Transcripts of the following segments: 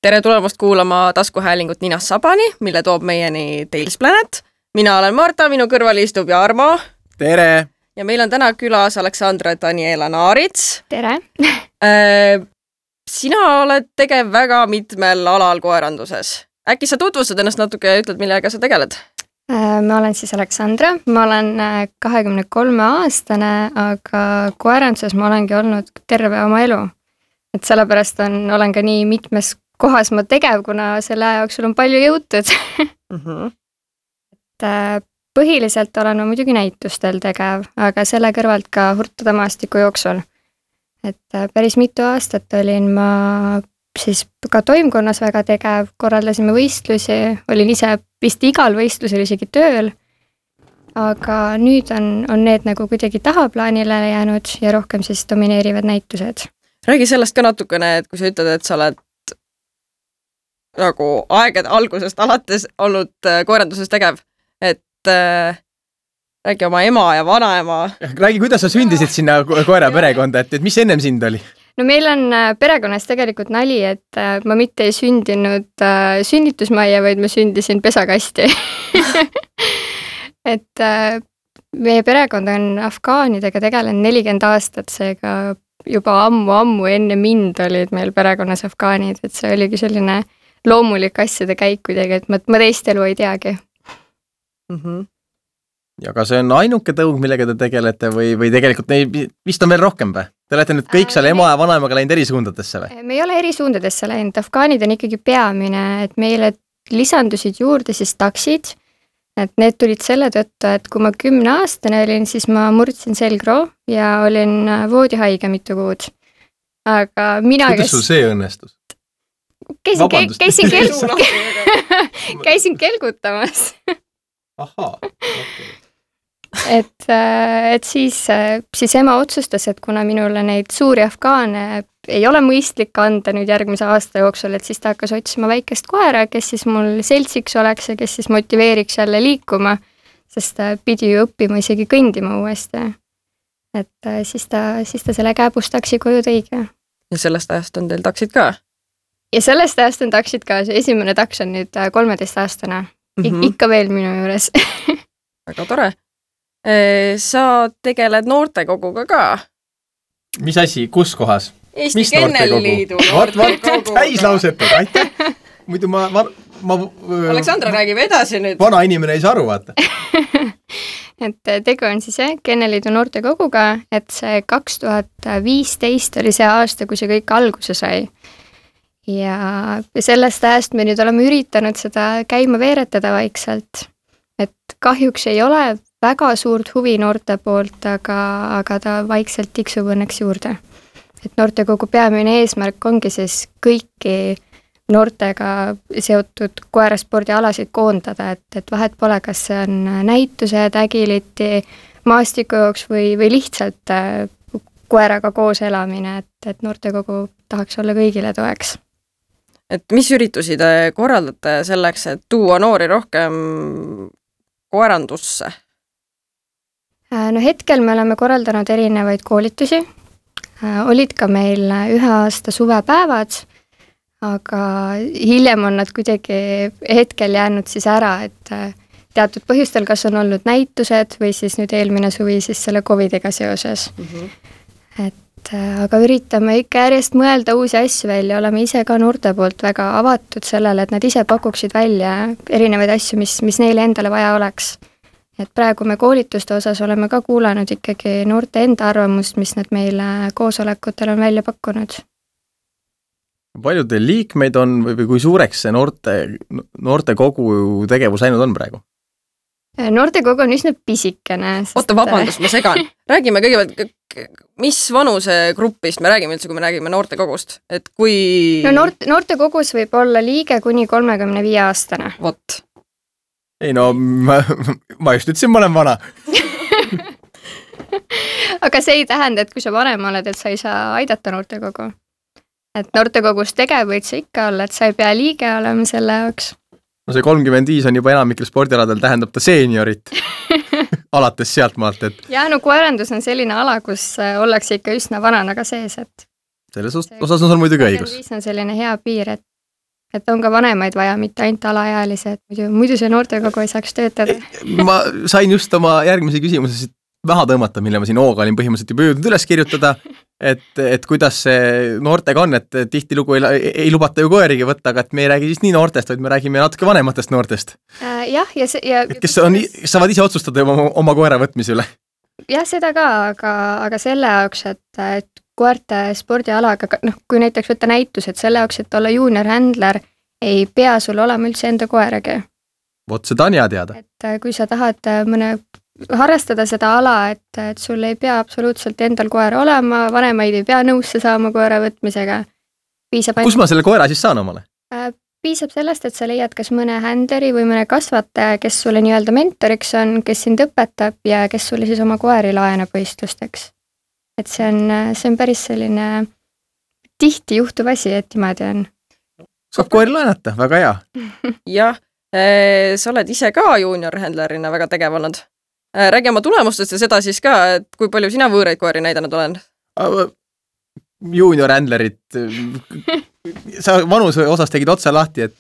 Tere tulemast kuulama taskuhäälingut Ninast Sabani, mille toob meieni Tales Planet. Mina olen Marta, minu kõrval istub Jarmo. Tere! Ja meil on täna külas Aleksandra Daniela Naarits. Tere! Sina oled tegev väga mitmel alal koeranduses. Äkki sa tutvustad ennast natuke ja ütled, millega sa tegeled? Ma olen siis Aleksandra, ma olen 23-aastane, aga koeranduses ma olengi olnud terve oma elu. Et sellepärast olen ka nii mitmes kohas ma tegev, kuna selle aja jooksul on palju jõutud. Et põhiliselt olen ma muidugi näitustel tegev, aga selle kõrvalt ka hurtada maastiku jooksul. Et päris mitu aastat olin ma siis ka toimkonnas väga tegev, korraldasime võistlusi, olin ise vist igal võistlusel isegi tööl, aga nüüd on need nagu kuidagi tahaplaanile jäänud ja rohkem siis domineerivad näitused. Räägi sellest ka natukene, et kui sa ütled, et sa oled nagu aegade algusest alates olnud koeranduses tegev, et räägi oma ema ja vanaema. Räägi, kuidas sa sündisid sinna koera perekonda, et mis ennem sind oli? No meil on perekonnas tegelikult nali, et ma mitte ei sündinud sünnitusmajja, vaid ma sündisin pesakasti. Et meie perekond on afgaanidega tegelenud 40 aastat, seega juba ammu enne mind olid meil perekonnas afgaanid, et see oligi selline loomulik asjade käik kuidagi, et ma teist elu ei teagi. Ja kas see on ainuke tõug, millega te tegelete või tegelikult vist on veel rohkem või? Te olete nüüd kõik seal ema ja vanaemaga läinud eri suundadesse või? Me ei ole eri suundadesse läinud, afgaanid on ikkagi peamine, et meile lisandusid juurde siis taksid, et need tulid selle tõttu, et kui ma 10-aastane olin, siis ma murdsin selgroo ja olin voodihaige mitu kuud. Aga mina... Kuidas sul see õnnestus? Käisin kelgutamas. Ahaa. Et siis ema otsustas, et kuna minule neid suuri afgaane ei ole mõistlik anda nüüd järgmise aasta jooksul, et siis ta hakkas otsima väikest koera, kes siis mul seltsiks oleks ja kes siis motiveeriks jälle liikuma, sest ta pidi ju õppima isegi kõndima uuesti. Et siis ta selle kääbustaksi koju tõigi. Ja sellest ajast on teil taksid ka? Ja sellest ajast on taksid ka, see esimene taks on nüüd 13-aastane. Ikka veel minu juures. Väga tore. Sa tegeled noortekoguga ka? Mis asi, kus kohas? Eesti Kennelliidu noortekogu. Täislausetud, aitäh. Muidu ma Aleksandra räägib edasi nüüd. Vana inimene ei saa aru, vaata. Et tegu on siis Kennelliidu noortekoguga, et see 2015 oli see aasta, kui see kõik alguse sai. Ja sellest ajast me nüüd oleme üritanud seda käima veeretada vaikselt. Et kahjuks ei ole väga suurt huvi noorte poolt, aga ta vaikselt tiksub õnneks juurde. Et noortekogu peamine eesmärk ongi siis kõiki noortega seotud koeraspordialasid koondada, et vahet pole, kas see on näitused, ägiliti, maastikujooks või lihtsalt koeraga koos elamine, et noortekogu tahaks olla kõigile toeks. Et mis üritusi te korraldate selleks, et tuua noori rohkem koerandusse? No hetkel me oleme korraldanud erinevaid koolitusi. Olid ka meil 1 aasta suvepäevad, aga hiljem on nad kuidagi hetkel jäänud siis ära, et teatud põhjustel, kas on olnud näitused või siis nüüd eelmine suvi siis selle COVIDiga seoses. Aga üritame ikka järjest mõelda uusi asju välja, oleme ise ka noorte poolt väga avatud sellele, et nad ise pakuksid välja erinevaid asju, mis neile endale vaja oleks. Et praegu me koolituste osas oleme ka kuulanud ikkagi noorte enda arvamust, mis nad meile koosolekutel on välja pakkunud. Palju teil liikmeid on või kui suureks see noortekogu tegevus läinud on praegu? Noortekogu on üsna pisikene. Oota, vabandust, ma segan. Räägime kõigepealt, mis vanuse gruppist me räägime üldse, kui me räägime noortekogust? Et kui... No noortekogus võib olla liige kuni 35-aastane. Vot. Ei no, ma just ütlesin, ma olen vana. Aga see ei tähenda, et kui sa vanem oled, et sa ei saa aidata noortekogu. Et noortekogus tegev võid sa ikka olla, et sa ei pea liige olema selle jaoks. No see 35 on juba enamikel spordialadel, tähendab ta seeniorit. Alates sealt maalt, et... Ja no koerandus on selline ala, kus ollakse ikka üsna vanana ka sees, et... Selles osas on muidugi õigus. 35 on selline hea piir, et et on ka vanemaid vaja, mitte ainult alaealised, muidu see noortekogu ei saaks töötada. Ma sain just oma järgmise küsimuse maha tõmmata, mille ma siin hooga olin põhimõtteliselt juba jõudnud üles kirjutada, et kuidas see noortega on, et tihtilugu ei lubata ju koerigi võtta, aga et me ei räägi siis nii noortest, vaid me räägime natuke vanematest noortest. Jah, kes saavad ise otsustada oma koera võtmise üle. Jah, seda ka, aga selle jaoks, et koerte spordialaga, kui näiteks võtta näitus, et selle jaoks, et olla junior handler, ei pea sul olema üldse enda koeragi. Vot seda on hea teada. Et kui sa tahad harrastada seda ala, et sul ei pea absoluutselt endal koera olema, vanemaid ei pea nõusse saama koera võtmisega. Kus ma selle koera siis saan omale? Piisab sellest, et sa leiad kas mõne händleri või mõne kasvataja, kes sulle nii-öelda mentoriks on, kes sind õpetab ja kes sulle siis oma koeri laenab võistlusteks. Et see on päris selline tihti juhtuv asi, et niimoodi on. Saab koeri laenata, väga hea. Jah, sa oled ise ka junior handlerina väga tegev olnud. Räägi oma tulemustest ja seda siis ka, et kui palju sina võõraid koeri näidanud olen? Junior handlerit, sa vanuse osas tegid otsa lahti, et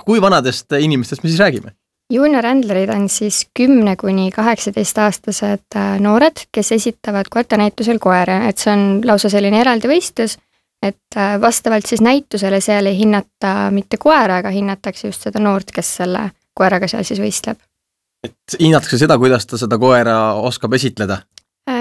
kui vanadest inimestest me siis räägime? Junior handlerid on siis 10–18-aastased noored, kes esitavad koertanäitusel koere, et see on lausa selline eraldi võistlus, et vastavalt siis näitusele seal ei hinnata mitte koera, aga hinnatakse just seda noort, kes selle koeraga seal siis võistleb. Et hinnatakse seda, kuidas ta seda koera oskab esitleda?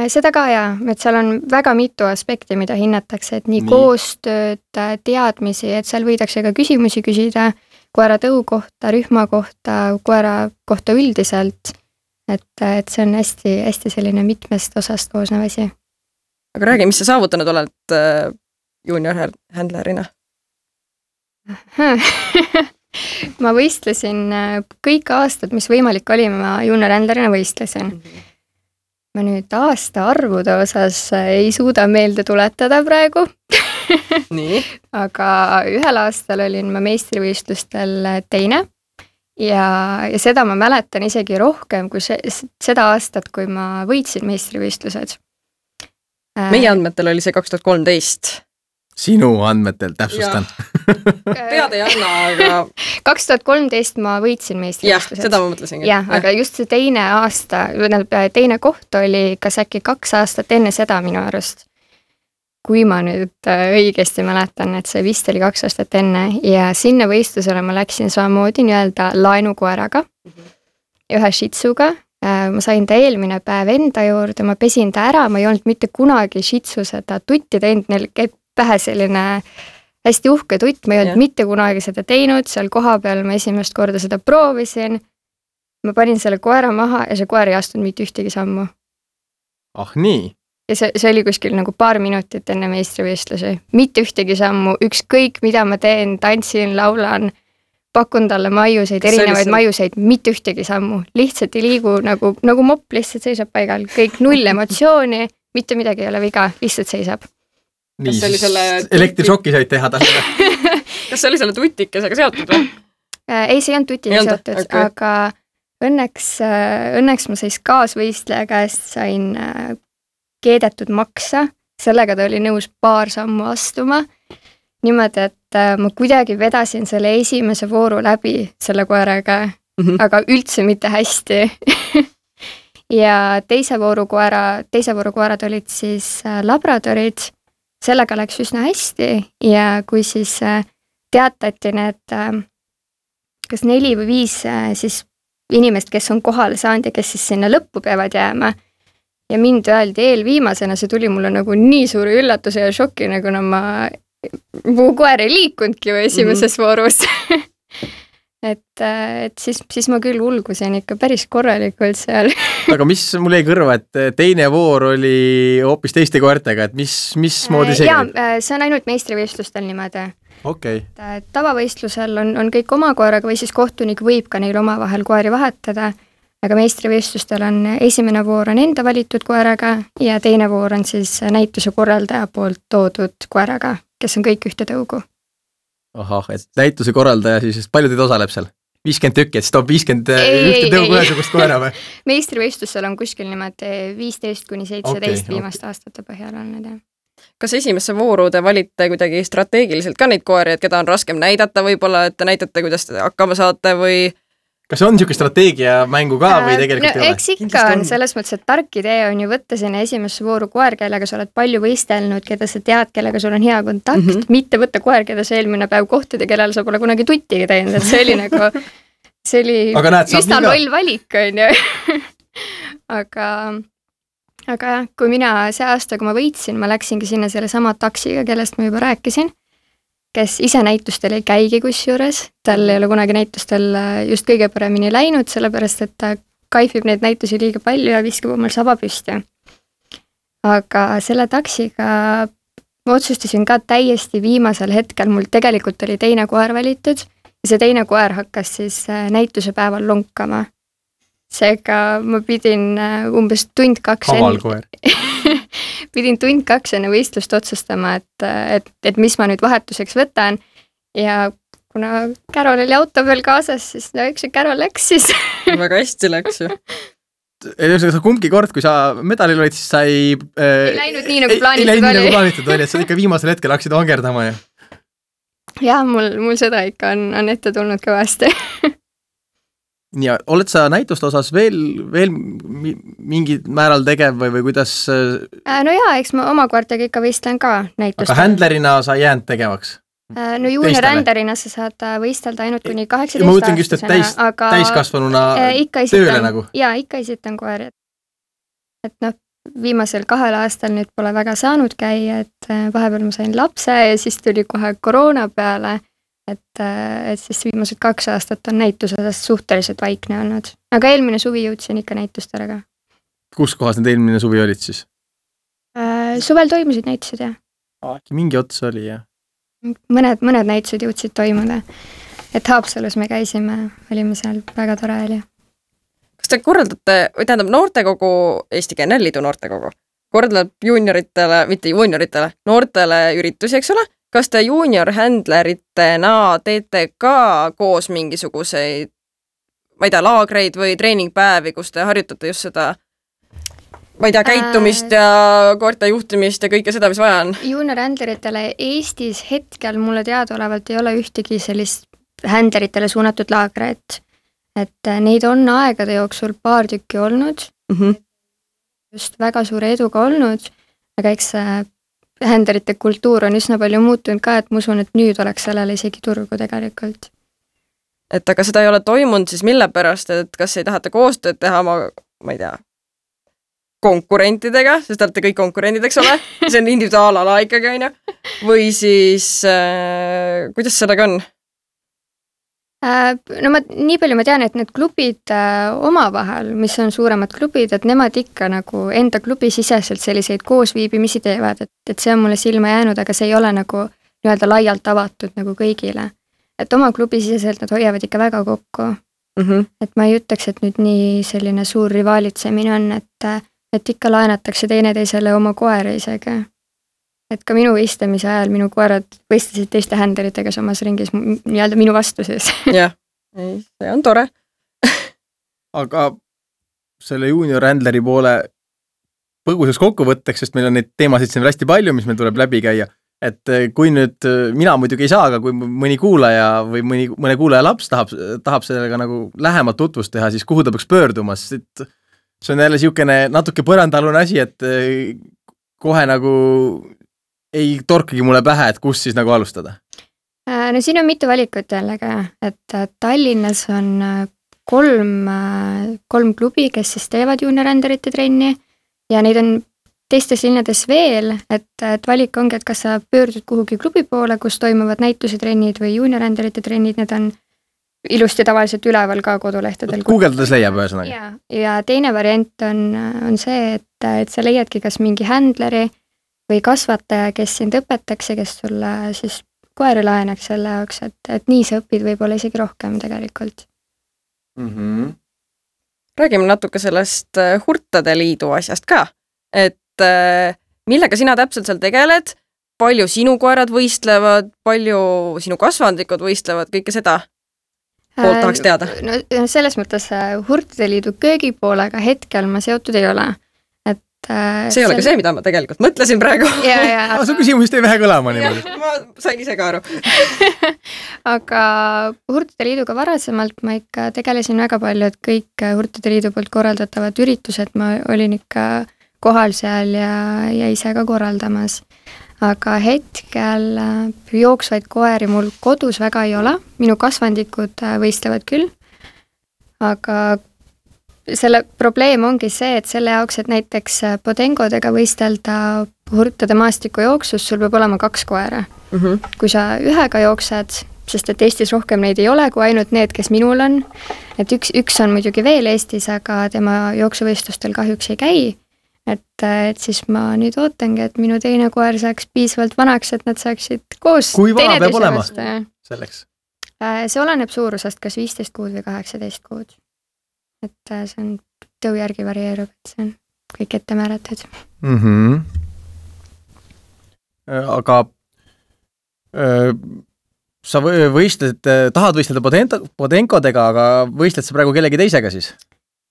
Seda ka jaa, et seal on väga mitu aspekti, mida hinnatakse, et nii koostööd, teadmisi, et seal võidakse ka küsimusi küsida koera tõu kohta, rühma kohta, koera kohta üldiselt, et see on hästi, hästi selline mitmest osast koosnev asi. Aga räägi, mis sa saavutanud oled junior handlerina? Ma võistlesin kõik aastad, mis võimalik oli, ma junior handlerina võistlesin. Ma nüüd aasta arvude osas ei suuda meelde tuletada praegu. Nii. Aga ühel aastal olin ma meistrivõistlustel teine ja seda ma mäletan isegi rohkem kui seda aastat, kui ma võitsin meistrivõistlused. Meie andmetel oli see 2013. Sinu andmetel, täpsustan. Pead ei anna, aga 2013 ma võitsin meistrivõistlused. Jah, seda ma mõtlesingi. Jah, aga just see teine aasta, teine koht oli kas äkki 2 aastat enne seda minu arust. Kui ma nüüd õigesti mäletan, et see vist oli 2 aastat enne ja sinna võistlusele ma läksin samamoodi nii-öelda laenukoeraga, ühe shitsuga. Ma sain ta eelmine päev enda juurde, ma pesin ta ära, ma ei olnud mitte kunagi shitsu seda tutti teinud, neil käib pähe selline hästi uhke tutt, ma ei olnud mitte kunagi seda teinud, seal koha peal ma esimest korda seda proovisin, ma panin selle koera maha ja see koer ei astunud mitte ühtegi sammu. Ah nii? Ja see oli kuskil nagu paar minutit enne meistrivõistlusi, mitte ühtegi sammu, ükskõik mida ma teen, tantsin, laulan, pakun talle maiuseid, erinevaid maiuseid, mitte ühtegi sammu, lihtsalt ei liigu nagu mopp, lihtsalt seisab paigal, kõik null emotsiooni, mitte midagi ei ole viga, lihtsalt seisab. Nii, siis elektrišokki said teha talle. Kas see oli selle tutikesega seotud või? Ei, see ei olnud tutiga seotud, okay. Aga õnneks ma siis kaasvõistleja käest sain keedetud maksa, sellega ta oli nõus paar sammu astuma. Niimoodi, et ma kuidagi vedasin selle esimese vooru läbi selle koeraga, aga üldse mitte hästi. Ja teise vooru koerad olid siis labradorid, sellega läks üsna hästi ja kui siis teatati need kas 4 või 5 siis inimest, kes on kohale saanud ja kes siis sinna lõppu peavad jääma ja mind öeldi eelviimasena, see tuli mulle nagu nii suuri üllatuse ja šoki, nagu mu koer ei liikunudki esimeses voorus. Et siis ma küll ulgusin ikka päris korralikult seal. Aga mis mul jäi kõrva, et teine voor oli hoopis teiste koertega, et mis moodi see? Jaa, see on ainult meistrivõistlustel niimoodi. Okay. Tavavõistlusel on kõik oma koeraga või siis kohtunik võib ka neil omavahel koeri vahetada, aga meistrivõistlustel on esimene voor on enda valitud koeraga ja teine voor on siis näituse korraldaja poolt toodud koeraga, kes on kõik ühte tõugu. Ahah, et näituse korraldaja siis, palju teid osaleb seal? 50 tükki, et siis toob 50 ühte tõugu ühesugust koera või? Meistrivõistlusel on kuskil niimoodi 15–17 viimaste aastate põhjal olnud. Kas esimesse vooru te valite kuidagi strateegiliselt ka neid koeri, et keda on raskem näidata võib-olla, et te näitate, kuidas te hakkama saate või kas on niisugune strateegia mängu ka või tegelikult ei ole? Eks ikka on selles mõttes, et tark idee on ju võtta sinna esimesse vooru koer, kellega sa oled palju võistelnud, keda sa tead, kellega sul on hea kontakt, mitte võtta koer, keda sa eelmine päev kohtud ja kellel sa pole kunagi tuttigi teinud, et see oli nagu, see oli üsna loll valik, on ju. aga jah, kui mina see aasta, kui ma võitsin, ma läksingi sinna selle sama taksiga, kellest ma juba rääkisin, kes ise näitustel ei käigi kusjuures, tal ei ole kunagi näitustel just kõige paremini läinud, sellepärast et ta kaifib neid näitusi liiga palju ja viskab omal saba püsti. Aga selle taksiga ma otsustasin ka täiesti viimasel hetkel, mul tegelikult oli teine koer valitud ja see teine koer hakkas siis näituse päeval lonkama. Seega ma pidin umbes tund 2 pidin tund 2 enne võistlust otsustama, et mis ma nüüd vahetuseks võtan ja kuna Carol oli auto peal kaasas, siis no üks Carol läks siis. Väga hästi läks ju. Kumbki kord, kui sa medalil olid, siis sa ei läinud nii, nagu plaanitud oli, et sa ikka viimasel hetkel hakkasid vangerdama. Ja mul seda ikka on ette tulnud kõvasti. Ja oled sa näituste osas veel mingid määral tegev või kuidas? No jaa, eks ma oma koertega ikka võistlen ka näitustel. Aga händlerina sa jäänud tegevaks? No junior händlerina sa saad võistelda ainult kuni 18 aastasena. Ma mõtlen just, et täiskasvanuna tööle nagu. Jaa, ikka esitan koeri. Et noh, viimasel 2 aastal nüüd pole väga saanud käia, et vahepeal ma sain lapse ja siis tuli kohe koroona peale. Et siis viimased 2 aastat on näituses suhteliselt vaikne olnud. Aga eelmine suvi jõudsin ikka näitustele ka. Kus kohas need eelmine suvi olid siis? Suvel toimusid näitused, jah. Mingi ots oli, jah. Mõned näitused jõudsid toimuda. Et Haapsalus me käisime, olime seal väga tore oli. Kas te korraldate, või tähendab noortekogu, Eesti Kennelliidu noortekogu, korraldab junioritele, mitte junioritele, noortele üritusi, eks ole? Kas te junior-händleritena teete ka koos mingisuguseid, ma ei tea, laagreid või treeningpäevi, kus te harjutate just seda, ma ei tea, käitumist ja koerte juhtimist ja kõike seda, mis vaja on? Junior-händleritele Eestis hetkel mulle teadaolevalt ei ole ühtegi sellist händleritele suunatud laagreid. Et neid on aegade jooksul paar tükki olnud, just väga suure eduga olnud, aga eks händlerite kultuur on üsna palju muutunud ka, et ma usun, et nüüd oleks sellele isegi turgu tegelikult. Et aga seda ei ole toimunud siis mille pärast, et kas ei tahate koostööd teha oma, ma ei tea, konkurentidega, sest olete kõik konkurendid, eks ole, see on individuaalala ikkagi, on ju, või siis kuidas sellega on? No nii palju ma tean, et need klubid omavahel, mis on suuremad klubid, et nemad ikka nagu enda klubi siseselt selliseid koosviibimisi teevad, et see on mulle silma jäänud, aga see ei ole nagu nii-öelda laialt avatud nagu kõigile. Et oma klubi siseselt nad hoiavad ikka väga kokku. Et ma ei ütleks, et nüüd nii selline suur rivaalitsemine on, et ikka laenatakse teineteisele oma koeri isegi. Et ka minu võistlemise ajal minu koerad võistlesid teiste händleritega samas ringis nii-öelda minu vastu siis. Jah, see on tore. Aga selle junior händleri poole põgusaks kokkuvõtteks, sest meil on neid teemasid siin hästi palju, mis meil tuleb läbi käia. Et kui nüüd, mina muidugi ei saa, aga kui mõni kuulaja või mõne kuulaja laps tahab sellega nagu lähemalt tutvust teha, siis kuhu ta peaks pöörduma, sest see on jälle siukene natuke põrandalune asi, et kohe nagu ei torkagi mulle pähe, et kus siis nagu alustada? No siin on mitu valikut jällegi, et Tallinnas on 3 klubi, kes siis teevad junior-händerite trenni ja neid on teistes linnades veel, et valik ongi, et kas sa pöördud kuhugi klubi poole, kus toimuvad näitusetrennid või junior-händerite trennid, need on ilusti tavaliselt üleval ka kodulehtedel. Guugeldades leiab ühesõnaga. Ja teine variant on see, et sa leiadki kas mingi händleri või kasvataja, kes sind õpetaks ja kes sulle siis koeri laenaks selle jaoks, et nii sa õpid võib-olla isegi rohkem tegelikult. Räägime natuke sellest Hurtade liidu asjast ka, et millega sina täpselt seal tegeled, palju sinu koerad võistlevad, palju sinu kasvandikud võistlevad, kõike seda poolt tahaks teada? No selles mõttes Hurtade liidu köögipoolega hetkel ma seotud ei ole. Et see ei ole ka see, mida ma tegelikult mõtlesin praegu. Su küsimus tõi vähe kõlama niimoodi. Ma sain ise ka aru. Aga Hurtide Liiduga varasemalt ma ikka tegelesin väga palju, et kõik Hurtide Liidu poolt korraldatavad üritused ma olin ikka kohal seal ja ise ka korraldamas. Aga hetkel jooksvaid koeri mul kodus väga ei ole, minu kasvandikud võistlevad küll, aga selle probleem ongi see, et selle jaoks, et näiteks podengodega võistelda Hurtide maastikujooksus, sul peab olema 2 koera. Kui sa ühega jooksed, sest et Eestis rohkem neid ei ole, kui ainult need, kes minul on, et üks on muidugi veel Eestis, aga tema jooksuvõistlustel kahjuks ei käi, et siis ma nüüd ootangi, et minu teine koer saaks piisavalt vanaks, et nad saaksid koos. Kui vana peab olema selleks? See oleneb suurusest, kas 15 kuud või 18 kuud. Et see on tõu järgi varieerub, et see on kõik ette määratud. Aga sa tahad võistelda podenkodega, aga võistled sa praegu kellegi teisega siis?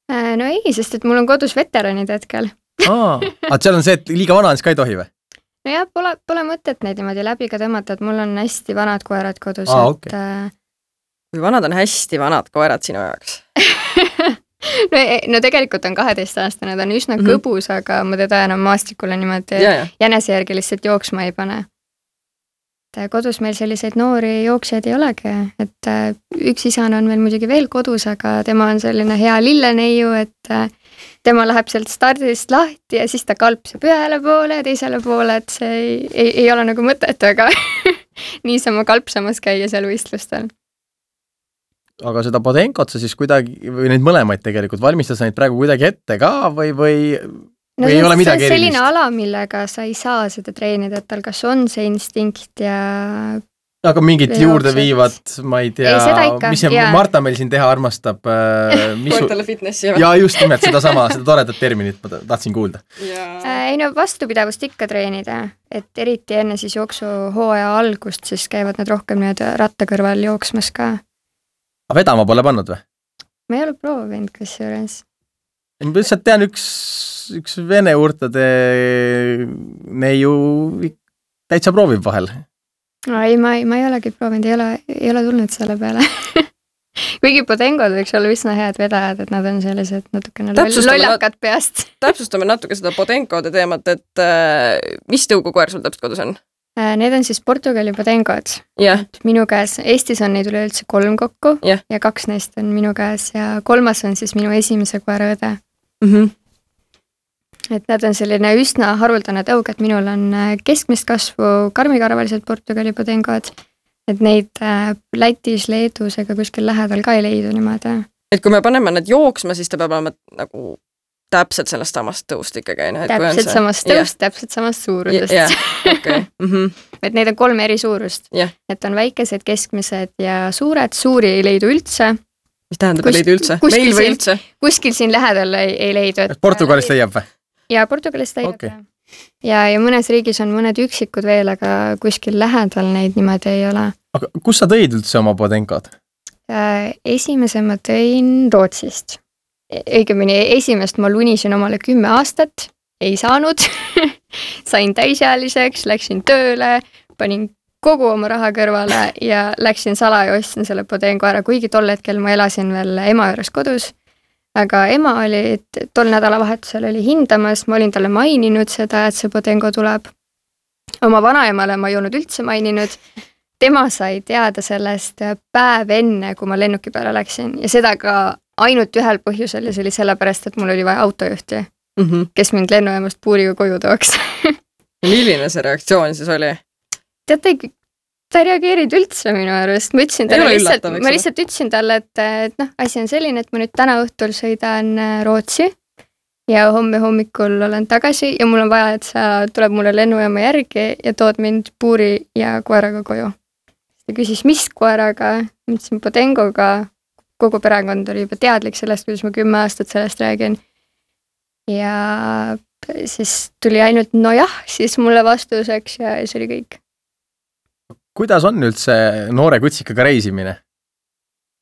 No ei, sest et mul on kodus veteranid hetkel. Aga seal on see, et liiga vana on, siis ka ei tohi või? No jah, pole mõtet neid niimoodi läbi ka tõmmata, et mul on hästi vanad koerad kodus. Kui vanad on hästi vanad koerad sinu jaoks? No tegelikult on 12-aastane, ta on üsna kõbus, aga ma teda enam maastikule niimoodi jänese järgi lihtsalt jooksma ei pane. Kodus meil selliseid noori jooksjaid ei olegi, et üks isane on meil muidugi veel kodus, aga tema on selline hea lilleneiu, et tema läheb sealt stardist lahti ja siis ta kalpseb ühele poole ja teisele poole, et see ei ole nagu mõtet, aga niisama kalpsamas käia seal võistlustel. Aga seda podenkot sa siis kuidagi, või neid mõlemaid tegelikult, valmistas neid praegu kuidagi ette ka või ei ole midagi erilist? See on selline ala, millega sa ei saa seda treenida, et tal kas on see instinkt ja... Aga mingit juurde viivad, ma ei tea, mis see Marta meil siin teha armastab? Koertele fitnessi. Ja just nimelt seda toredat terminit ma tahtsin kuulda. Ei no vastupidavust ikka treenida, et eriti enne siis jooksuhooaja algust, siis käivad nad rohkem ratta kõrval jooksmas ka. Aga vedama pole pannud või? Ma ei ole proovinud kusjuures. Ma lihtsalt tean üks vene Hurtide neiu täitsa proovib vahel. No ei, ma ei olegi proovinud, ei ole tulnud selle peale. Kuigi podengod võiks olla üsna head vedajad, et nad on sellised natukene lollakad peast. Täpsustame natuke seda podengode teemat, et mis tõugukoer sul täpselt kodus on? Need on siis Portugali podengod. Minu käes, Eestis on neid üleüldse 3 kokku ja 2 neist on minu käes ja 3. on siis minu esimese koera õde. Et nad on selline üsna haruldane tõug, et minul on keskmist kasvu karmikarvalised Portugali podengod, et neid Lätis, Leedus ega kuskil lähedal ka ei leidu niimoodi. Et kui me paneme need jooksma, siis ta peab olema nagu täpselt sellest samast tõust ikkagi. Täpselt samast tõust, täpselt samast suurusest. Okay. Et neid on 3 eri suurust. Et on väikesed, keskmised ja suured. Suuri ei leidu üldse. Mis tähendab ei leidu üldse? Meil või üldse? Kuskil siin lähedal ei leidu. Portugalist leiab või? Ja Portugalist leiab. Okay. Ja mõnes riigis on mõned üksikud veel, aga kuskil lähedal neid niimoodi ei ole. Aga kus sa tõid üldse oma podengod? Esimese ma tõin Rootsist. Õigemini esimest ma lunisin omale 10 aastat, ei saanud, sain täisealiseks, läksin tööle, panin kogu oma raha kõrvale ja läksin salaja ostsin selle podengo ära, kuigi tol hetkel ma elasin veel ema juures kodus. Aga ema oli tol nädalavahetusel oli hindamas, ma olin talle maininud seda, et see podengo tuleb. Oma vanaemale ma ei olnud üldse maininud. Tema sai teada sellest päev enne, kui ma lennuki peale läksin ja seda ka ainult ühel põhjusel ja see oli sellepärast, et mul oli vaja autojuhti, kes mind lennujaamast puuriga koju tooks. Milline see reaktsioon siis oli? Teate, ta ei reageerinud üldse minu arust. Ma lihtsalt ütlesin talle, et asi on selline, et ma nüüd täna õhtul sõidan Rootsi ja homme hommikul olen tagasi ja mul on vaja, et sa tuleb mulle lennujaama järgi ja tood mind puuri ja koeraga koju. Ta küsis, mis koeraga? Ma ütlesin podengoga. Kogu perekond oli juba teadlik sellest, kuidas ma 10 aastat sellest räägin. Ja siis tuli ainult nojah, siis mulle vastuseks ja see oli kõik. Kuidas on üldse noore kutsikaga reisimine?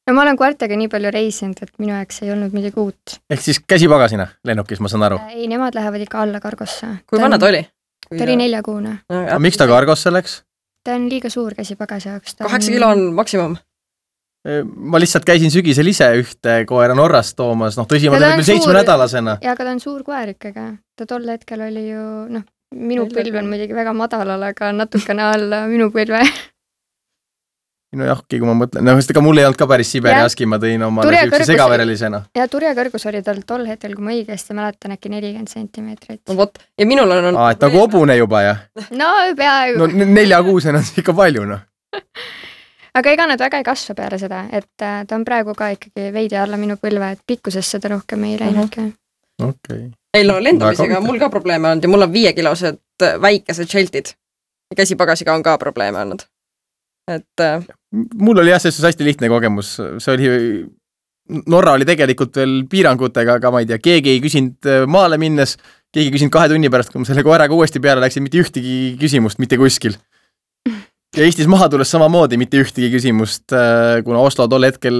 no ma olen koertega nii palju reisinud, et minu jaoks ei olnud midagi uut. Ehk siis käsipagasina lennukis, ma saan aru. Ei, nemad lähevad ikka alla kargosse. Kui vana ta oli? Ta oli 4-kuune. Aga miks ta kargosse läks? Ta on liiga suur käsipagasi jaoks. 8 kilo on maksimum. Ma lihtsalt käisin sügisel ise ühte koera Norrast toomas, tõsi, ma tegin 7-nädalasena. Ja aga ta on suur koer ikkagi. Ta tol hetkel oli ju, minu põlv on muidugi väga madalal, aga natukene alla minu põlve. No jahki, kui ma mõtlen, ka mul ei olnud ka päris Siberi aski, ma tõin oma segaverelisena. Ja turjakõrgus oli tal tol hetkel, kui ma õigesti mäletan, äkki 40 centimeetrit. No vot, ja minul on... et nagu hobune juba, jah? No peaaegu. No 4-kuusena on ikka palju, Aga ega nad väga ei kasva peale seda, et ta on praegu ka ikkagi veidi alla minu põlve, et pikkusest seda rohkem ei läinudki. Okay. Ei, lendamisega mul ka probleeme olnud ja mul on 5-kilosed väikesed šeltid. Ja käsipagasiga on ka probleeme olnud. Mul oli jah, see hästi lihtne kogemus. See oli, Norra oli tegelikult veel piirangutega, aga ma ei tea, keegi ei küsinud maale minnes, keegi ei küsinud 2 tunni pärast, kui ma selle koeraga uuesti peale läksin, mitte ühtegi küsimust, mitte kuskil. Ja Eestis maha tulles samamoodi mitte ühtegi küsimust, kuna Oslo tol hetkel,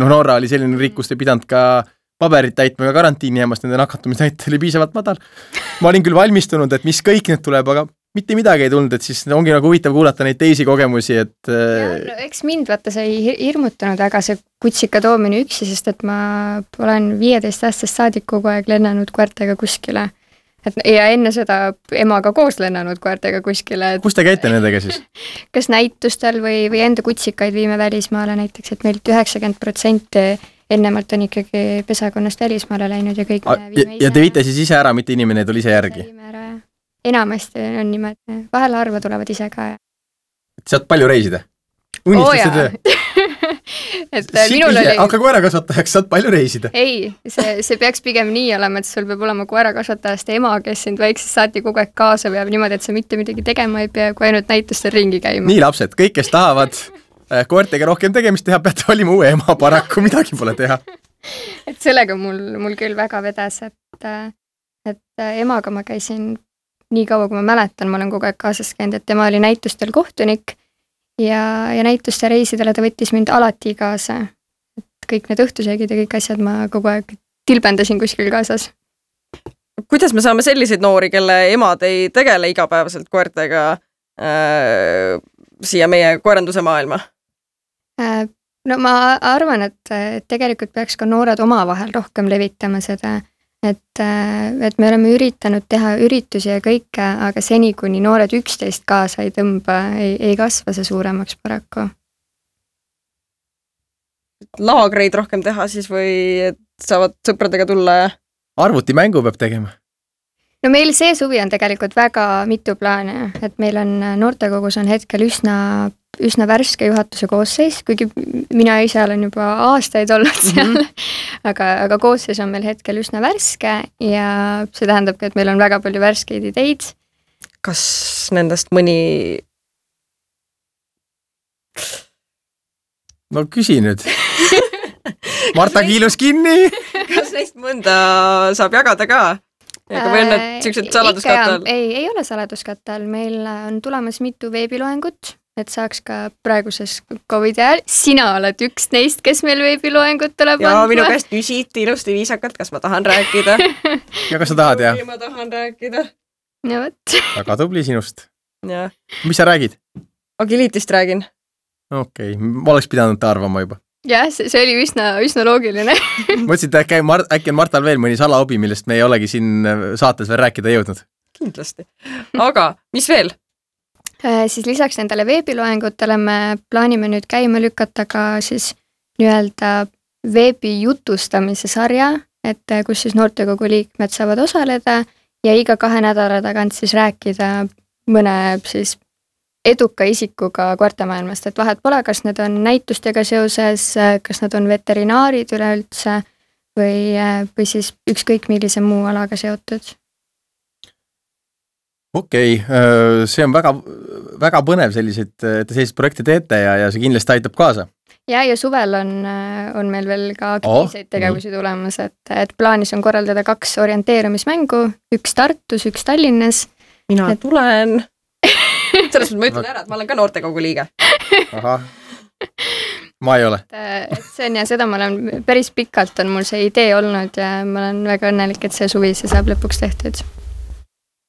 Norra oli selline riik, kus ei pidanud ka paberit täitma, ka karantiini jäämast, nende nakatumisnäit oli piisavalt madal. Ma olin küll valmistunud, et mis kõik need tuleb, aga mitte midagi ei tulnud, et siis ongi nagu huvitav kuulata neid teisi kogemusi, et... Ja, eks mind vaata see ei hirmutanud väga see kutsika toomine üksi, sest et ma olen 15-aastast saadik kogu aeg lennanud koertega kuskile. Ja enne seda emaga koos lennanud koertega kuskile. Kus te käite nendega siis? Kas näitustel või enda kutsikaid viime välismaale näiteks, et meilt 90% ennemalt on ikkagi pesakonnast välismaale läinud ja kõik ja te viite siis ise ära, mitte inimene tuli ise järgi? Enamasti on niimoodi, vahel harva tulevad ise ka. Saad palju reisida? Unistaste töö? Hakka koerakasvatajaks, saad palju reisida. Ei, see peaks pigem nii olema, et sul peab olema koerakasvatajast ema, kes sind väiksest saati kogu aeg kaasa peab niimoodi, et sa mitte midagi tegema ei pea, kui ainult näitustel ringi käima. Nii lapsed, kõik, kes tahavad koertega rohkem tegemist teha, peate olima uue ema, paraku midagi pole teha. Et sellega mul küll väga vedas, et emaga ma käisin nii kaua, kui ma mäletan, ma olen kogu aeg kaasas käinud, et tema oli näitustel kohtunik ja näituste reisidele ta võttis mind alati kaasa. Et kõik need õhtusöögid ja kõik asjad ma kogu aeg tilbendasin kuskil kaasas. Kuidas me saame selliseid noori, kelle emad ei tegele igapäevaselt koertega siia meie koeranduse maailma? No ma arvan, et tegelikult peaks ka noored omavahel rohkem levitama seda, et me oleme üritanud teha üritusi ja kõike, aga seni, kuni noored 11 kaasa ei tõmba, ei kasva see suuremaks paraku. Laagreid rohkem teha siis või saavad sõpradega tulla ja... Arvutimängu peab tegema. No meil see suvi on tegelikult väga mitu plaane, et meil on noortekogus on hetkel üsna värske juhatuse koosseis, kuigi mina ise olen juba aastaid olnud seal, aga koosseis on meil hetkel üsna värske ja see tähendabki, et meil on väga palju värskeid ideid. Kas nendest mõni... No küsi nüüd. Marta kiilus kinni. Kas neist mõnda saab jagada ka? Aga või on need sellised saladuskatte all? Ei ole saladuskatte all. Meil on tulemas mitu veebiloengut, et saaks ka praeguses COVID ajal. Sina oled üks neist, kes meil veebiloengut tuleb ja minu käest küsiti ilusti viisakalt, kas ma tahan rääkida. Ja kas sa tahad, jah? Ma tahan rääkida. Ja võt. Väga tubli sinust. Ja. Mis sa räägid? Agilitist räägin. Okei, ma oleks pidanud arvama juba. Jah, see oli üsna loogiline. Mõtlesin, et äkki on Martal veel mõni salahobi, millest me ei olegi siin saates veel rääkida jõudnud. Kindlasti. Aga mis veel? Siis lisaks nendele veebiloengutele me plaanime nüüd käima lükata ka siis nii-öelda veebi jutustamise sarja, et kus siis noortekogu liikmed saavad osaleda ja iga 2 nädala tagant siis rääkida mõne siis eduka isikuga koertemaailmast, et vahet pole, kas need on näitustega seoses, kas nad on veterinaarid üleüldse või siis ükskõik millise muu alaga seotud. Okei, see on väga, väga põnev sellised projekte teete ja see kindlasti aitab kaasa. Ja suvel on meil veel ka aktiivseid tegevusi tulemas, et plaanis on korraldada 2 orienteerumismängu, 1 Tartus, 1 Tallinnas. Mina tulen. Sellest ma ütlen ära, et ma olen ka noortekogu liige. Aha. ma ei ole. et see on ja seda ma olen päris pikalt on mul see idee olnud ja ma olen väga õnnelik, et see suvi see saab lõpuks tehtud.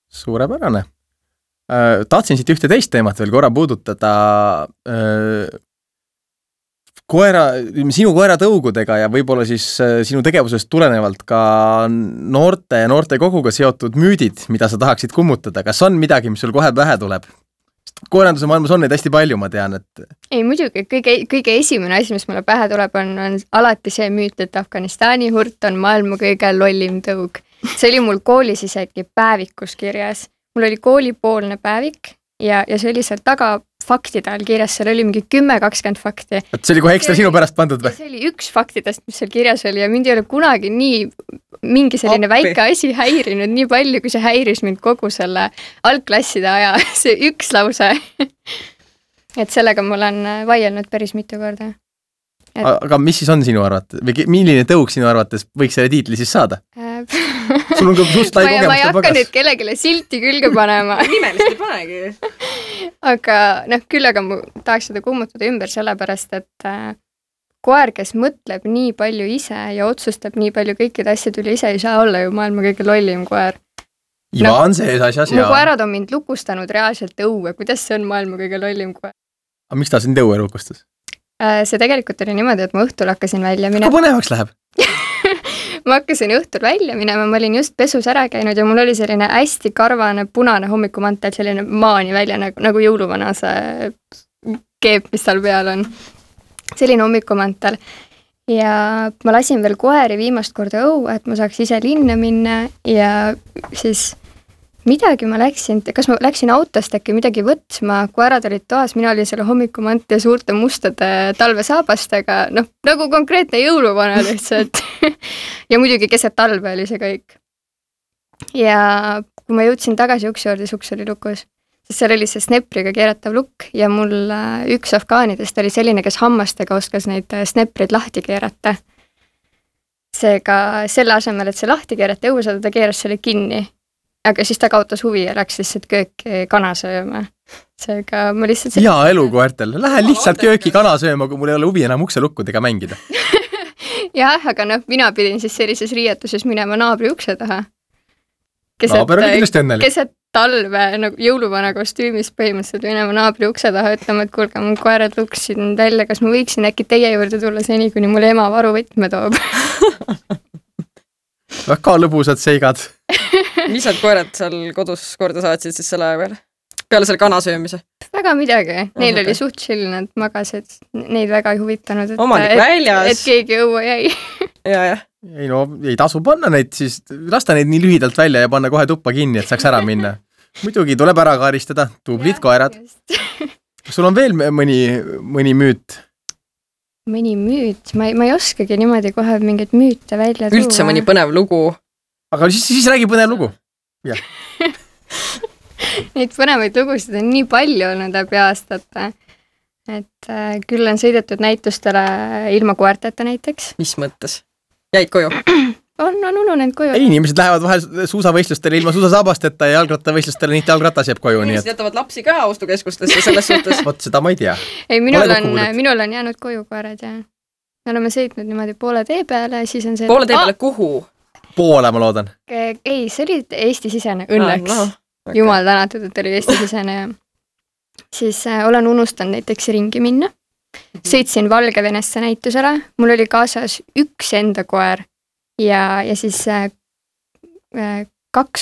Suurepärane. Tahtsin siit ühte teist teemat veel korra puudutada sinu koera tõugudega ja võib-olla siis sinu tegevusest tulenevalt ka noortekoguga seotud müüdid, mida sa tahaksid kummutada. Kas on midagi, mis sul kohe pähe tuleb? Koeranduse maailmas on neid hästi palju, ma tean, et... Ei, muidugi, kõige esimene asi, mis mulle pähe tuleb, on alati see müüt, et Afganistani hurt on maailma kõige lollim tõug. See oli mul koolis isegi päevikus kirjas. Mul oli koolipoolne päevik ja see oli seal taga faktide all kirjas, seal oli mingi 10-20 fakti. Et see oli kohe ekstra sinu pärast pandud või? See oli üks faktidest, mis seal kirjas oli ja mind ei ole kunagi nii mingi selline väike asi häirinud nii palju, kui see häiris mind kogu selle algklasside aja, see üks lause. Et sellega ma olen vaielnud päris mitu korda. Aga mis siis on sinu arvates? Või milline tõug sinu arvates võiks selle tiitli siis saada? Sul on ka suust lai kogemuste pagas. Ma ei hakka nüüd kellegile silti külge panema. Nimelist ei panegi. Aga küll aga ma tahaks seda kummutada ümber sellepärast, et koer, kes mõtleb nii palju ise ja otsustab nii palju kõikide asjad üle ise, ei saa olla ju maailma kõige lollim koer. Iva on see asjas. Mu koerad on mind lukustanud reaalselt õue. Kuidas see on maailma kõige lollim koer? Aga miks ta sind õue lukustas? See tegelikult oli niimoodi, et ma õhtul hakkasin välja minema. Kui põnevaks läheb? Ma hakkasin õhtul välja minema, ma olin just pesus ära käinud ja mul oli selline hästi karvane punane hommikumantel, selline maani välja nagu jõuluvana see keep, mis seal peal on. Selline hommikumantel. Ja ma lasin veel koeri viimast korda õue, et ma saaks ise linna minna ja siis midagi ma läksin, kas ma läksin autost äkki midagi võtsma, koerad olid toas, mina olin selle hommikumanti ja suurte mustade talvesaabastega, nagu konkreetne jõuluvana lihtsalt. Ja muidugi keset talve oli see kõik. Ja kui ma jõudsin tagasi uksi juurde, see uks oli lukus, siis seal oli see snepriga keeratav lukk ja mul üks afgaanidest oli selline, kes hammastega oskas neid sneprid lahti keerata. Seega selle asemel, et see lahti keerata õue saada, ta keeras selle kinni. Aga siis ta kaotas huvi ja läks lihtsalt kööki kana sööma. Seega ma lihtsalt... Jaa, elukoertel. Lähe lihtsalt kööki kana sööma, kui mul ei ole huvi enam ukselukkudega mängida. Jah, aga mina pidin siis sellises riietuses minema naabri ukse taha. Naaber oli kindlasti õnnelik. Keset talve nagu jõuluvana kostüümis põhimõtteliselt minema naabri ukse taha ütlema, et kuulge, mu koerad luksid välja, kas ma võiksin äkki teie juurde tulla seni, kuni mul ema varuvõtme toob. Väga lõbusad seigad. Mis need koerad seal kodus korda saatsid siis selle aja peale? Peale selle kana söömise? Väga midagi. Neil oli suht chill, nad magasid. Neid väga ei huvitanud, et keegi õue jäi. Ja. Ei ei tasu panna neid siis, lasta neid nii lühidalt välja ja panna kohe tuppa kinni, et saaks ära minna. Muidugi tuleb ära kaaristada, tublid koerad. Sul on veel mõni müüt? Mõni müüt? Ma ei oskagi niimoodi kohe mingeid müüte välja tuua. Üldse mõni põnev lugu? Aga siis räägi põnev lugu. Jah. Neid põnevaid lugusid on nii palju olnud läbi aastate, et küll on sõidetud näitustele ilma koerteta näiteks. Mis mõttes? Jäid koju? On ununenud koju. Ei, inimesed lähevad vahel suusavõistlustele ilma suusasaabasteta ja jalgrattavõistlustele niiti jalgratas jääb koju. Inimesed jätavad lapsi ka ostukeskustesse selles suhtes. Vot seda ma ei tea. Ei, minul on jäänud koju koerad ja me oleme sõitnud niimoodi poole tee peale ja siis on see... Poole tee peale kuhu? Poole, ma loodan. Ei, see oli Eesti-sisene, õnneks. Okay. Jumal tänatud, et oli Eesti-sisene ja siis olen unustanud näiteks ringi minna. Sõitsin Valgevenesse näitusele, mul oli kaasas üks enda koer ja siis 2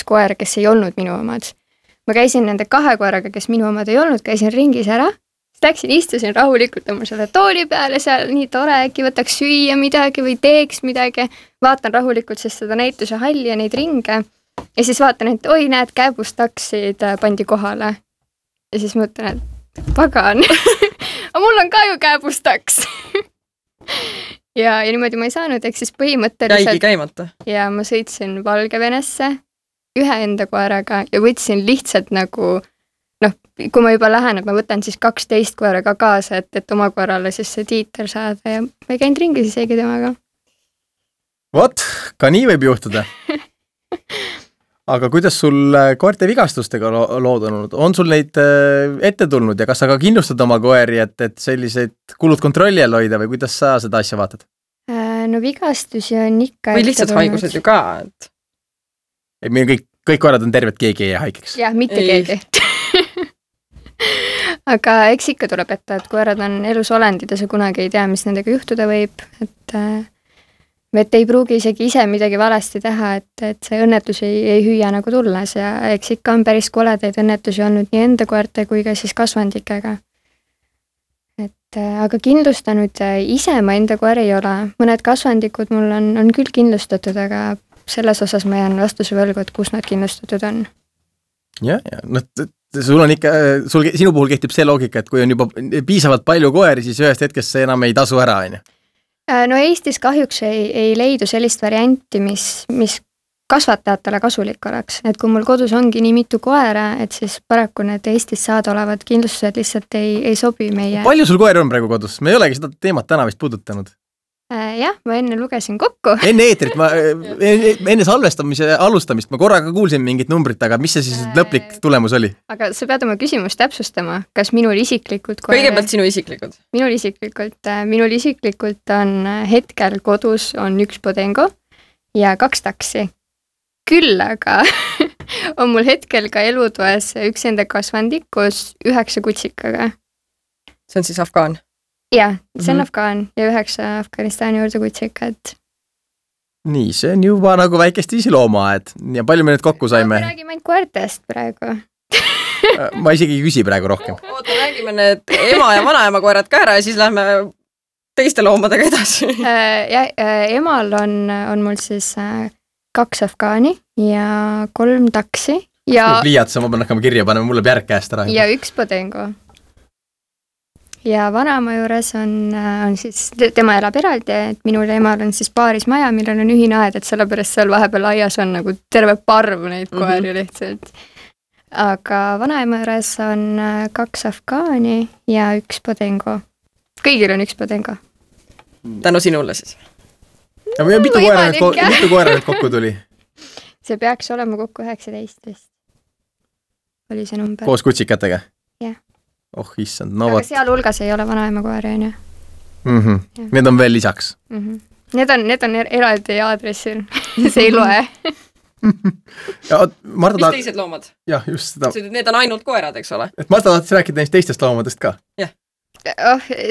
koera, kes ei olnud minu omad. Ma käisin nende 2 koeraga, kes minu omad ei olnud, käisin ringis ära. Läksin, istusin rahulikult oma selle tooli peale seal, nii tore, äkki võtaks süüa midagi või teeks midagi. Vaatan rahulikult siis seda näituse halli ja neid ringe. Ja siis vaatan, et oi, näed, kääbustaksid pandi kohale. Ja siis mõtlen, et pagan. Aga mul on ka ju kääbustaks. ja niimoodi ma ei saanud, ehk siis põhimõtteliselt... Jäigi käimata. Ja ma sõitsin Valgevenesse ühe enda koeraga ja võtsin lihtsalt nagu... kui ma juba lähen, et ma võtan siis 12 koera ka kaasa, et oma koerale siis see tiiter saada ja ma ei käinud ringi siis eegi temaga. Vot, ka nii võib juhtuda. aga kuidas sul koerte vigastustega lood on olnud? On sul neid ette tulnud ja kas sa ka kindlustad oma koeri, et selliseid kulud kontrolli all hoida või kuidas sa seda asja vaatad? No vigastusi on ikka või lihtsalt haigused ju ka, et... Meil kõik koerad on terved, keegi ei haigeks. Jah, mitte keegi. Aga eks ikka tuleb ette, et koerad on elus olendid ja sa kunagi ei tea, mis nendega juhtuda võib, et ei pruugi isegi ise midagi valesti teha, et see õnnetus ei hüüa nagu tulles ja eks ikka on päris koledaid õnnetusi olnud nii enda koerte kui ka siis kasvandikega. Aga kindlustanud ise ma enda koeri ei ole. Mõned kasvandikud mul on küll kindlustatud, aga selles osas ma jään vastuse võlgu, et kus nad kindlustatud on. Ja. Sul on ikka, sinu puhul kehtib see loogika, et kui on juba piisavalt palju koeri, siis ühest hetkest see enam ei tasu ära, on ju? No Eestis kahjuks ei leidu sellist varianti, mis kasvatajatele kasulik oleks. Et kui mul kodus ongi nii mitu koera, et siis paraku need Eestis saada olevad kindlustused lihtsalt ei sobi meie... Palju sul koeri on praegu kodus? Me ei olegi seda teemat täna vist puudutanud. Jah, ma enne lugesin kokku. Enne eetrit, enne salvestamise alustamist ma korraga kuulsin mingit numbrit, aga mis see siis lõplik tulemus oli? Aga sa pead oma küsimust täpsustama, kas minul isiklikult kõigepealt sinu isiklikud? Minul isiklikult on hetkel kodus on 1 Bodengo ja 2 taksi. Küll aga on mul hetkel ka elutoes 1 enda kasvandik koos 9 kutsikaga. See on siis Afgaan? Jah, see on Afgaan ja 9 Afganistani juurde kutsikat. Nii, see on juba nagu väikest isiloomaed ja palju me nüüd kokku saime? Me räägime ainult koertest praegu. Ma isegi ei küsi praegu rohkem. Oota, räägime need ema ja vanaema koerad ka ära ja siis lähme teiste loomadega edasi. Emal on mul siis 2 Afgaani ja 3 taksi. Pliiats, ma pean hakkama kirja panema, mul läheb järg käest ära. Ja 1 Bodengo. Ja vanaema juures on siis, tema elab eraldi, et minul ja emal on siis paaris maja, millel on ühine aed, et sellepärast seal vahepeal aias on nagu terve parv neid koeri lihtsalt. Aga vanaema juures on 2 Afgaani ja 1 Bodengo. Kõigil on 1 Bodengo. Tänu sinule siis. Ja mitu koera nüüd kokku tuli? See peaks olema kokku 19 vist. Oli see number. Koos kutsikatega? Jah. Oh, issand, aga seal hulgas ei ole vanaema koeri, on ju? Need on veel lisaks? Need on eraldi aadressil. See ei loe. Mis teised loomad? Jah, just seda. Need on ainult koerad, eks ole? Et Marta tahtis rääkida neist teistest loomadest ka? Jah.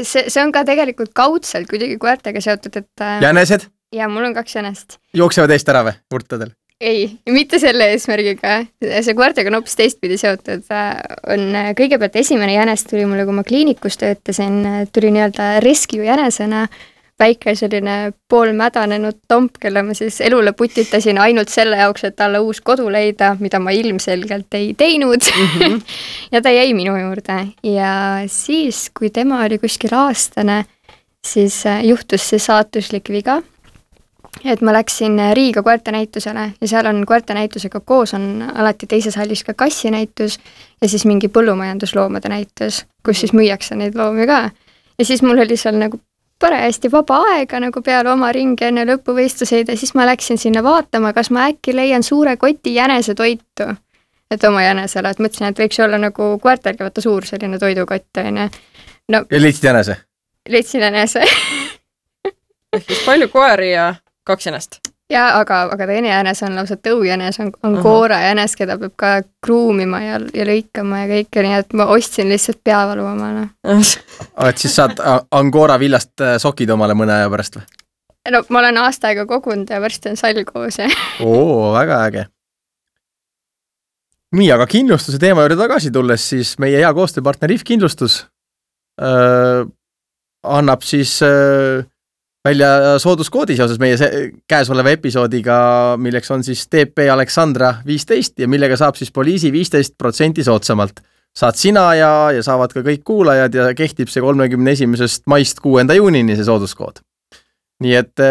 See on ka tegelikult kaudselt kuidagi koertega seotud, et... Jänesed? Ja mul on 2 jänest. Jooksevad eest ära või, urtadel? Ei, mitte selle eesmärgiga. See koertega on hoopis teistpidi seotud. Kõigepealt esimene jänes tuli mulle, kui ma kliinikus töötasin, tuli nii-öelda rescue jänesena, väike selline poolmädanenud tomp, kelle ma siis elule putitasin ainult selle jaoks, et talle uus kodu leida, mida ma ilmselgelt ei teinud. Ja ta jäi minu juurde. Ja siis, kui tema oli kuskil aastane, siis juhtus see saatuslik viga. Et ma läksin Riiga koertenäitusele ja seal on koertenäitusega koos on alati teises hallis ka kassinäitus ja siis mingi põllumajandusloomade näitus, kus siis müüakse neid loomi ka. Ja siis mul oli seal nagu parajasti vaba aega nagu peale oma ringi enne lõpuvõistluseid ja siis ma läksin sinna vaatama, kas ma äkki leian suure koti jänese toitu. Et oma jänesele, et mõtlesin, et võiks olla nagu koertelgi võtta suur selline toidukott. No, ja leidsid jänese? Leidsin jänese. Palju koeri ja 2 jänest. Ja, aga teine jänes on lausa tõujänes, on koora jänes, keda peab ka kruumima ja lõikama ja kõike, nii et ma ostsin lihtsalt peavalu omale. Et siis saad Angora villast sokid omale mõne aja pärast või? No ma olen aasta aega kogunud ja varsti on sall koos. Väga äge. Nii, aga kindlustuse teema juurde tagasi tulles, siis meie hea koostööpartner IF Kindlustus annab siis... välja sooduskoodi seoses meie käesoleva episoodiga, milleks on siis TP Aleksandra 15 ja millega saab siis poliisi 15% soodsamalt. Saad sina ja saavad ka kõik kuulajad ja kehtib see 31. maist 6. juunini see sooduskood. Nii et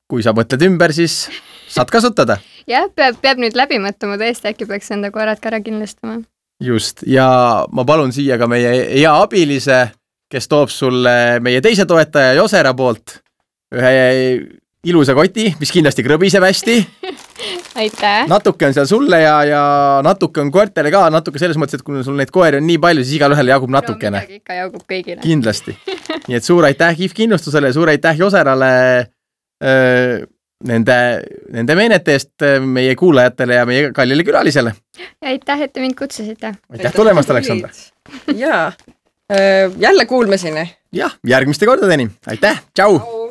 kui sa mõtled ümber, siis saad kasutada. Jah, peab nüüd läbi mõtlema, tõesti äkki peaks enda koerad ka ära kindlustama. Just, ja ma palun siia ka meie hea abilise, kes toob sulle meie teise toetaja Josera poolt ühe ilusa koti, mis kindlasti krõbiseb hästi. aitäh! natuke on seal sulle ja natuke on koertele ka, natuke selles mõttes, et kui sul neid koeri on nii palju, siis igal ühel jagub natukene. No midagi ikka jagub kõigile. Kindlasti. Nii et suur aitäh KIF kindlustusele ja suur aitäh Joserale nende meenete eest meie kuulajatele ja meie kallile külalisele. Ja aitäh, et te mind kutsusite. Aitäh tulemast, Aleksandra. Jaa, jälle kuulmiseni. Jah, järgmiste kordadeni. Aitäh, tšau!